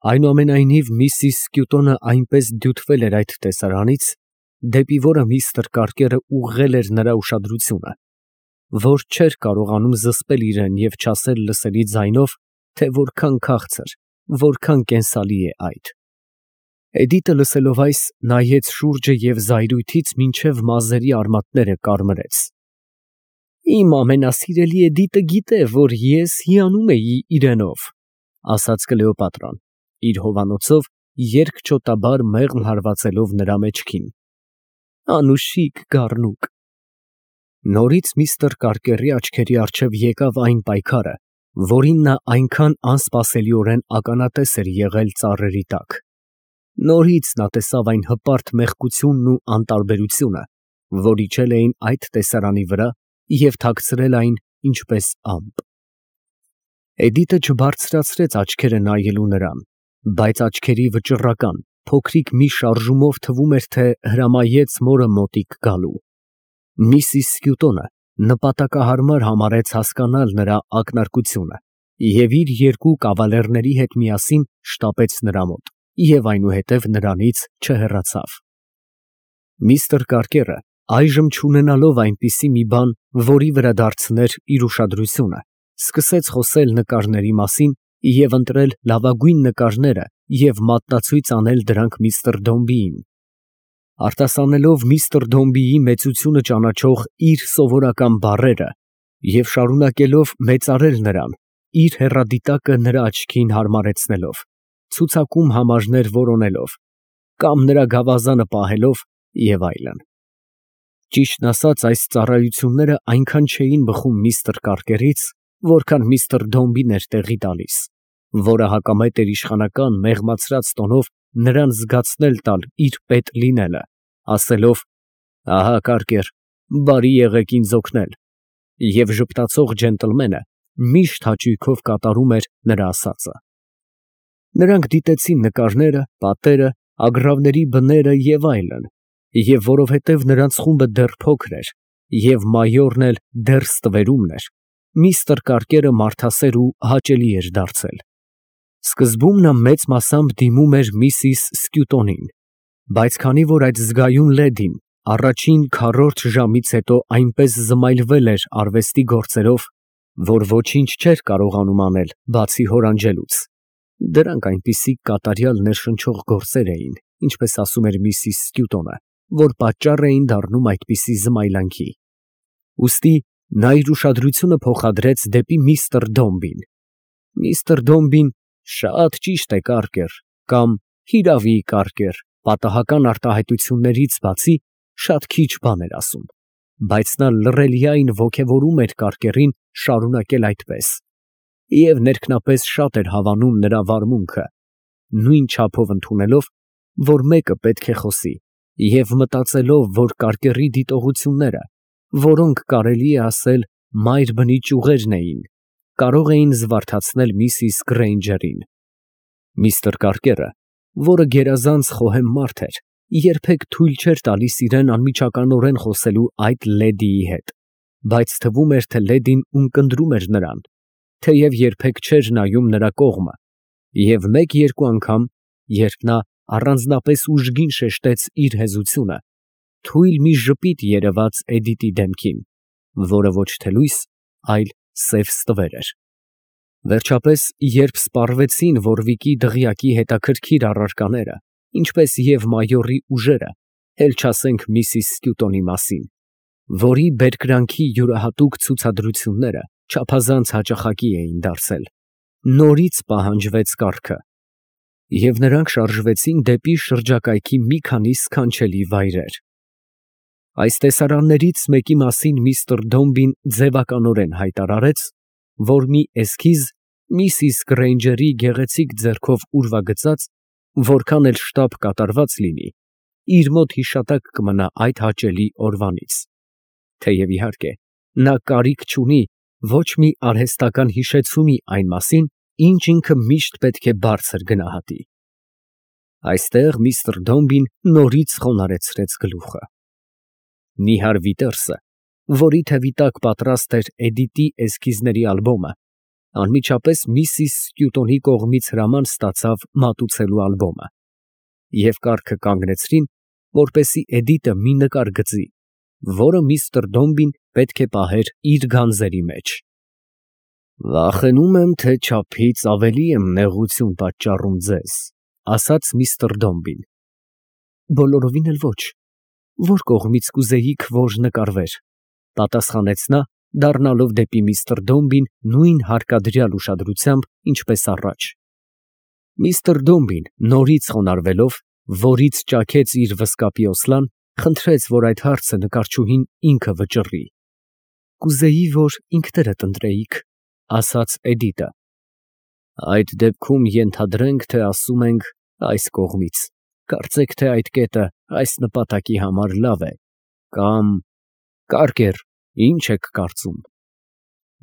Այնուամենայնիվ միսիս Սկյուտոնը այնպես դյութվել էր այդ տեսարանից, դեպի որը միստր Կարկերը ուղղել էր նրա ուշադրությունը, որ չէր կարողանում զսպել իրան և չասել լսելի ձայնով, թե որքան քաղցր, որքան կենսալի է այդ։ Էդիտը լսելով այս, նայեց շուրջը և զայրույթից մինչև մազերի արմատները կարմրեց։ Իմ ամենասիրելի Էդիտը գիտե, որ ես հիանում էի իրենով, ասաց Կլեոպատրան, իր հովանոցով երկչոտաբար մեղմ հարվածելով նրա մեջքին։ Անուշիկ գառնուկ։ Նորից միստր Կարկերի աչքերի առջև եկավ այն պայքարը, որին նա այնքան անսպասելիորեն ականատես էր եղել ծառերի տակ։ Նորից նա տեսավ այն հպարտ մեղքությունն ու անտարբերությունը, որ իջել էին այդ տեսարանի վրա և թաքցրել այն ինչպես ամպ։ Էդիտը չբարձրացրեց աչքերը նայելու նրան, բայց աչքերի վճռական, փոքրիկ մի շարժումով թվում էր, թե հրամայեց մորը մոտիկ գալու։ Միսիս Սկյուտոնը նպատակահարմար համարեց հասկանալ նրա ակնարկությունը և իր երկու կավալերների հետ միասին շտապեց նրա մոտ և այնուհետև նրանից չհեռացավ։ Միստր Կարկերը, այժմ չունենալով այնպիսի մի բան, որի վրա դարձներ իր ուշադրությունը, սկսեց խոսել նկարների մասին և ընտրել լավագույն նկարները և մատնացույց անել դրանք միստր Դոմբիին, արտասանելով միստր Դոմբիի մեծությունը ճանաչող իր սովորական բառերը և շարունակելով մեծարել նրան, իր հեռադիտակը նրա աչքին հարմարեցնելով, ցուցակում համարներ որոնելով, կամ նրա գավազանը պահելով և այլն։ Ճիշտն ասած, այս ծառայությունները այնքան չէին բխում միստր Կարկերից, որքան միստր Դոմբին էր տեղի տալիս, որը հակամետ էր իշխանական մեղմացրած տոնով նրան զգացնել տալ իր պետ լինելը, ասելով. «Ահա Կարկեր, բարի եղեք ինձ օգնել», և ժպտացող ջենտլմենը միշտ հաճույքով կատարում էր նրա ասածը։ Նրանք դիտեցին նկարները, պատերը, ագռավների բները և այլն, և որովհետև նրանց խումբը դեռ փոքր էր, և մայորն էլ դեռ ստվերումն էր, միստր Կարկերը մարդասեր ու հաճելի էր դարձել։ Սկզբում նա մեծ մասամբ դիմում էր միսիս Սկյուտոնին, բայց քանի որ այդ զգայուն լեդին առաջին քառորդ ժամից հետո այնպես զմայլվել էր արվեստի գործերով, որ ոչինչ չէր կարողանում անել, բացի հորանջելուց (դրանք այնպիսի կատարյալ ներշնչող գործեր էին, ինչպես ասում էր միսիս Սկյուտոնը, որ պատճառ էին դառնում այդպիսի զմայլանքի), ուստի նա իր ուշադրությունը փոխադրեց դեպի միստր Դոմբին։ Միստր Դոմբին «Շատ ճիշտ է, Կարկեր» կամ «Հիրավի, Կարկեր» պատահական արտահայտություններից բացի շատ քիչ բան էր ասում, բայց նա լռելիայն ոգևորում էր Կարկերին շարունակել այդպես, և ներքնապես շատ էր հավանում նրա վարմունքը, նույն չափով ընդունելով, որ մեկը պետք է խոսի, և մտածելով, որ Կարկերի դիտողությունները, որոնք կարելի է ասել մայր բնի ճյուղերն էին, կարող էին զվարթացնել միսիս Գրեյնջերին։ Միստր Կարկերը, որը գերազանց խոհեմ մարդ էր, երբեք թույլ չէր տալիս իրան անմիջականորեն խոսելու այդ լեդիի հետ, բայց թվում էր, թե լեդին ունկնդրում էր նրան, թեև երբեք չէր նայում նրա կողմը, և մեկ֊երկու անգամ, երբ նա առանձնապես ուժգին շեշտեց իր հեզությունը, թույլ մի ժպիտ երևաց Էդիտի դեմքին, որը ոչ թե լույս, այլ սև ստվեր էր։ Վերջապես, երբ սպառվեցին Ոռվիկի դղյակի հետաքրքիր առարկաները, ինչպես և մայորի ուժերը, էլ չասենք միսիս Սկյուտոնի մասին, որի բերկրանքի յուրահատուկ ցուցադրությունները չափազանց հաճախակի էին դարձել, նորից պահանջվեց կառքը, և նրանք շարժվեցին դեպի շրջակայքի մի քանի սքանչելի վայրեր։ Այս տեսարաններից մեկի մասին միստր Դոմբին ձևականորեն հայտարարեց, որ մի էսքիզ միսիս Գրեյնջերի գեղեցիկ ձեռքով ուրվագծած, որքան էլ շտապ կատարված լինի, իր մոտ հիշատակ կմնա այդ հաճելի օրվանից, թեև իհարկե նա կարիք չունի ոչ մի արհեստական հիշեցումի այն մասին, ինչ ինքը միշտ պետք է բարձր գնահատի։ Այստեղ միստր Դոմբին նորից խոնարհեցրեց գլուխը։ Նիհար Վիտերսը, որի թևի տակ պատրաստ էր Էդիտի էսքիզների ալբոմը, Անմիջապես Միսիս Սկյուտոնի կողմից հրաման ստացավ մատուցելու ալբոմը, և կառքը կանգնեցրին, որպեսզի Էդիտը մի նկար գծի, որը միստր Դոմբին պետք է պահեր իր գանձերի մեջ։ «Վախենում եմ, թե չափից ավելի եմ նեղություն պատճառում ձեզ», ասաց միստր Դոմբին։ «Բոլորովին էլ ոչ, որ կողմից կուզեիք, որ նկարվեր», պատասխանեց նա, դառնալով դեպի միստր Դոմբին նույն հարկադրյալ ուշադրությամբ, ինչպես առաջ։ Միստր Դոմբին, նորից խոնարհվելով, որից ճաքեց իր վզկապի օսլան, խնդրեց, որ այդ հարցը նկարչուհին ինքը վճռի։ «Կուզեի, որ ինքներդ ընտրեիք», ասաց Էդիտը։ «Այդ դեպքում ենթադրենք, թե ասում ենք այս կողմից, կարծեք, թե այդ կետը այս նպատակի համար լավ է, կամ… Կարկեր, ինչ եք կարծում»։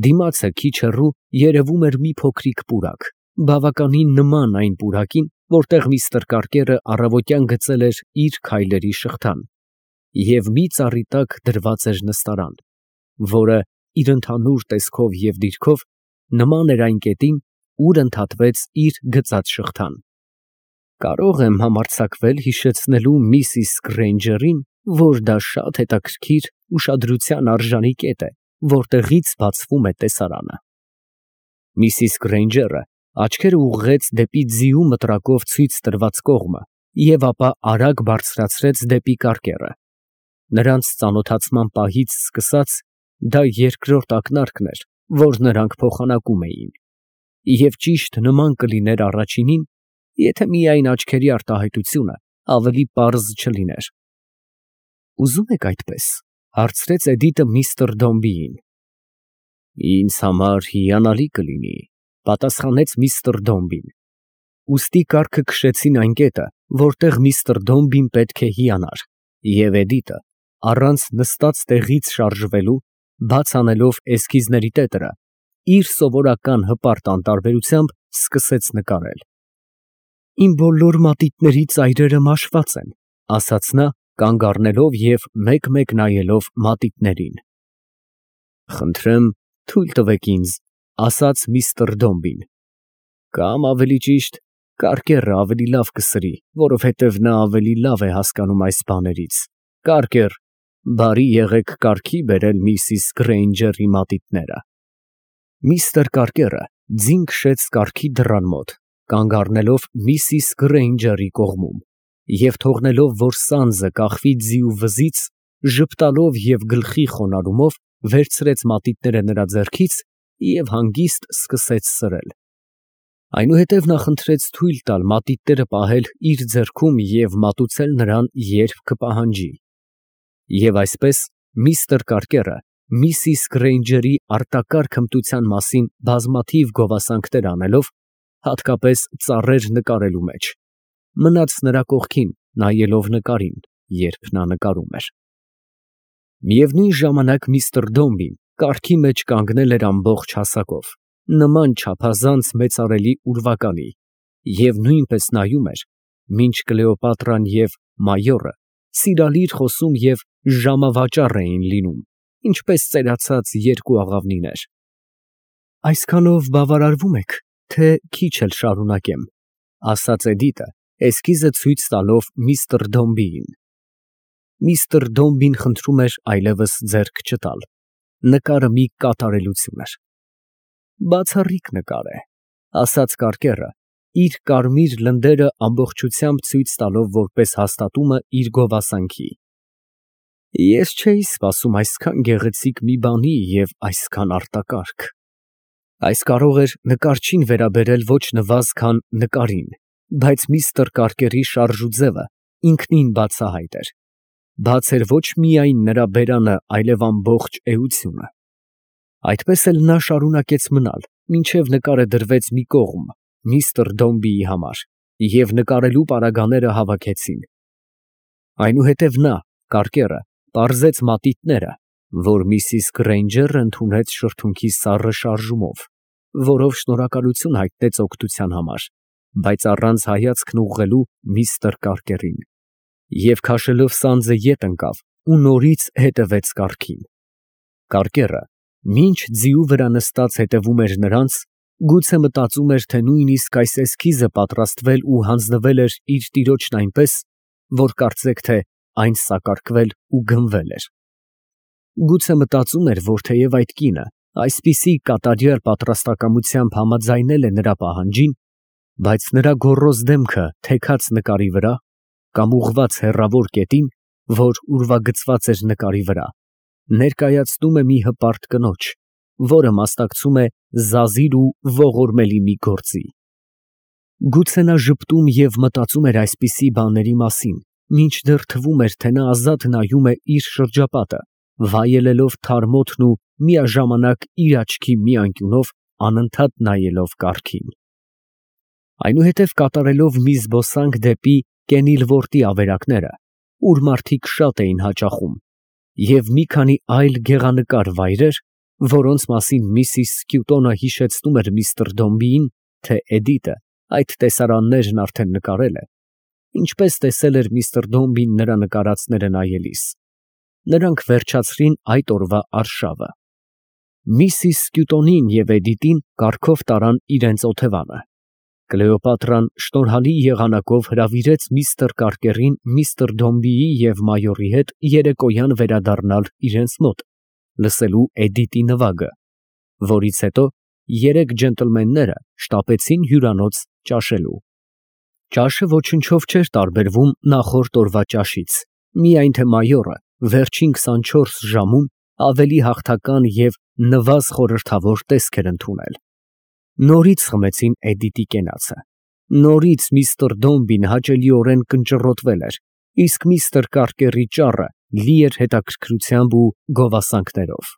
Դիմացը քիչ հեռու երևում էր մի փոքրիկ պուրակ, բավականին նման այն պուրակին, որտեղ միստր Կարկերը առավոտյան գծել էր իր քայլերի շղթան, և մի ծառի տակ դրված էր նստարան, որը իր ընդհանուր տեսքով և դիրքով նման էր այն կետին, ուր ընդհատվեց իր գծած շղթան։ Կարող եմ համարձակվել հիշեցնելու միսիս Գրեյնջերին, որ դա շատ հետաքրքիր ուշադրության արժանի կետ է, որտեղից բացվում է տեսարանը։ Միսիս Գրեյնջերը աչքերը ուղղեց դեպի ձիու մտրակով ցույց տրված կողմը և ապա արագ բարձրացրեց դեպի Կարկերը։ Նրանց ծանոթացման պահից սկսած դա երկրորդ ակնարկն էր, որ նրանք փոխանակում էին, և ճիշտ նման կլիներ առաջինին, եթե միայն աչքերի արտահայտությունը ավելի պարզ չլիներ։ «Ուզում եք այդպես», հարցրեց Էդիտը միստր Դոմբիին։ «Ինձ համար հիանալի կլինի», պատասխանեց միստր Դոմբին։ Ուստի կառքը քշեցին այն կետը, որտեղ միստր Դոմբին պետք է հիանար, և Էդիտը, առանց նստած տեղից շարժվելու, բաց անելով էսքիզների տետրը, իր սովորական հպարտ անտարբերությամբ սկսեց նկարել։ «Իմ բոլոր մատիտների ծայրերը մաշված են», ասաց նա, կանգ առնելով և մեկ֊մեկ նայելով մատիտներին։ «Խնդրեմ, թույլ տվեք ինձ», ասաց միստր Դոմբին, «կամ ավելի ճիշտ, Կարկերը ավելի լավ կսրի, որովհետև նա ավելի լավ է հասկանում այս բաներից։ Կարկեր, բարի եղեք կարգի բերել միսիս Գրեյնջերի մատիտները»։ Միստր Կարկերը ձին քշեց կառքի դռան մոտ, կանգ առնելով միսիս Գրեյնջերի կողմում, և թողնելով, որ սանձը կախվի ձիու վզից, ժպտալով և գլխի խոնարհումով վերցրեց մատիտները նրա ձեռքից և հանգիստ սկսեց սրել։ Այնուհետև նա խնդրեց թույլ տալ մատիտները պահել իր ձեռքում և մատուցել նրան, երբ կպահանջի։ Եվ այսպես միստր Կարկերը, միսիս Գրեյնջերի արտակարգ հմտության մասին բազմաթիվ գովասանքներ անելով, հատկապես ծառեր նկարելու մեջ, մնաց նրա կողքին, նայելով նկարին, երբ նա նկարում էր։ Միևնույն ժամանակ միստր Դոմբին կառքի մեջ կանգնել էր ամբողջ հասակով, նման չափազանց մեծարելի ուրվականի, և նույնպես նայում էր, մինչ Կլեոպատրան և մայորը սիրալիր խոսում և ժամավաճառ էին լինում, ինչպես ծերացած երկու աղավնիներ։ «Այսքանով բավարարվում եք, թե քիչ էլ շարունակեմ», ասաց Էդիտը, էսքիզը ցույց տալով միստր Դոմբիին։ Միստր Դոմբին խնդրում էր այլևս ձեռք չտալ։ Նկարը մի կատարելություն էր։ «Բացառիկ նկար է», ասաց Կարկերը, իր կարմիր լնդերը ամբողջությամբ ցույց տալով որպես հաստատումը իր գովասանքի։ «Ես չէի սպասում այսքան գեղեցիկ մի բանի և այսքան արտակարգ»։ Այս կարող էր նկարչին վերաբերել ոչ նվազ, քան նկարին, բայց միստր Կարկերի շարժուձևը ինքնին բացահայտ էր։ Բաց էր ոչ միայն նրա բերանը, այլև ամբողջ էությունը։ Այդպես էլ նա շարունակեց մնալ, մինչև նկարը դրվեց մի կողմ միստր Դոմբիի համար, և նկարելու պարագաները հավաքեցին։ Այնուհետև նա, Կարկերը, պարզեց մատիտները, որ միսիս Գրեյնջերը ընդունեց շրթունքի սառը շարժումով, որով շնորհակալություն հայտնեց օգնության համար, բայց առանց հայացքն ուղղելու միստր Կարկերին, և քաշելով սանձը ետ ընկավ ու նորից հետևեց կառքին։ Կարկերը, մինչ ձիու վրա նստած հետևում էր նրանց, Գուցե մտածում էր, թե նույնիսկ այս էսքիզը պատրաստվել ու հանձնվել էր իր տիրոջն այնպես, որ կարծեք, թե այն սակարկվել ու գնվել էր։ Գուցե մտածում էր, որ թեև այդ կինը այսպիսի կատարյալ պատրաստակամությամբ համաձայնել է նրա պահանջին, բայց նրա գոռոզ դեմքը թեքած նկարի վրա կամ ուղղված հեռավոր կետին, որ ուրվագծված էր նկարի վրա, ներկայացնում է մի հպարտ կնոջ, որը մասնակցում է զազիր ու ողորմելի մի գործի։ Գուցե նա ժպտում և մտածում էր այսպիսի բաների մասին, մինչդեռ թվում էր, թե նա ազատ նայում է իր շրջապատը, վայելելով թարմոթն ու միաժամանակ իր աչքի մի անկյունով անընդհատ նայելով կառքին։ Այնուհետև կատարելով մի զբոսանք դեպի Կենիլվորտի ավերակները, ուր մարդիկ շատ էին հաճախում, և մի քանի այլ գեղանկար վայրեր, որոնց մասին միսիս Սկյուտոնը հիշեցնում էր միստր Դոմբիին, թե Էդիտը այդ տեսարաններն արդեն նկարել է, ինչպես տեսել էր միստր Դոմբին նրա նկարածները նայելիս, նրանք վերջացրին այդ օրվա արշավը։ Միսիս Սկյուտոնին և Էդիտին կառքով տարան իրենց օթևանը։ Կլեոպատրան շնորհալի եղանակով հրավիրեց միստր Կարկերին միստր Դոմբիի և մայորի հետ երեկոյան վերադառնալ իրենց մոտ, լսելու Էդիտի նվագը, որից հետո երեք ջենտլմենները շտապեցին հյուրանոց ճաշելու։ Ճաշը ոչնչով չէր տարբերվում նախորդ օրվա ճաշից, միայն թե մայորը վերջին 24 ժամում ավելի հաղթական և նվազ խորհրդավոր տեսք էր ընդունել։ Նորից խմեցին Էդիտի կենացը, նորից միստր Դոմբին հաճելիորեն կնճռոտվել էր, իսկ միստր Կարկերի ճառը լի էր հետաքրքրությամբ ու գովասանքներով։